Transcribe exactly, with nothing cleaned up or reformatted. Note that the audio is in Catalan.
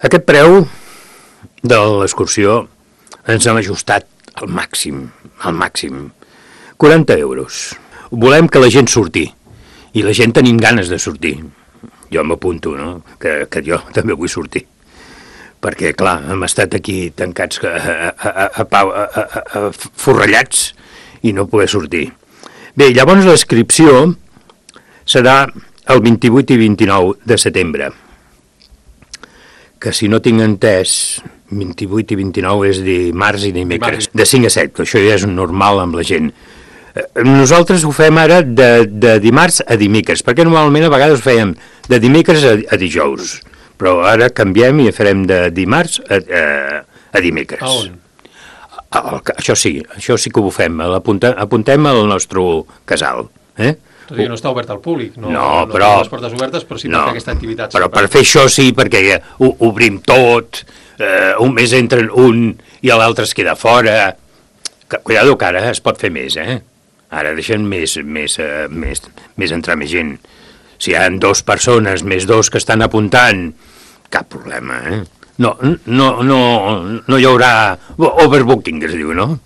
Aquest preu de l'excursió ens hem ajustat al màxim, al màxim. quaranta euros. Volem que la gent surti, i la gent tenim ganes de sortir. Jo m'apunto, no?, que, que jo també vull sortir. Perquè, clar, hem estat aquí tancats a, a, a, a, a, a, a forrellats i no poder sortir. Bé, llavors l'inscripció serà el vint-i-vuit i vint-i-nou de setembre, que si no tinc entès, vint-i-vuit i vint-i-nou és dimarts i dimecres, de cinc a set, que això ja és normal amb la gent. Nosaltres ho fem ara de, de dimarts a dimecres, perquè normalment a vegades ho fèiem de dimecres a, a dijous, però ara canviem i farem de dimarts a, a, a dimecres. A on? A, a, això sí, això sí que ho fem, apuntem, apuntem al nostre casal, eh? Tot i que no està obert al públic, no, no, no però, les portes obertes, però sí per no, fer aquesta activitat. Però per fer això sí, perquè ho, obrim tot, eh, un mes entra un i l'altre es queda fora. Cuidado que ara es pot fer més, eh? Ara deixen més, més, eh, més, més entrar més gent. Si hi ha dues persones més dos que estan apuntant, cap problema, eh? No, no, no, no hi haurà overbooking, es diu, no?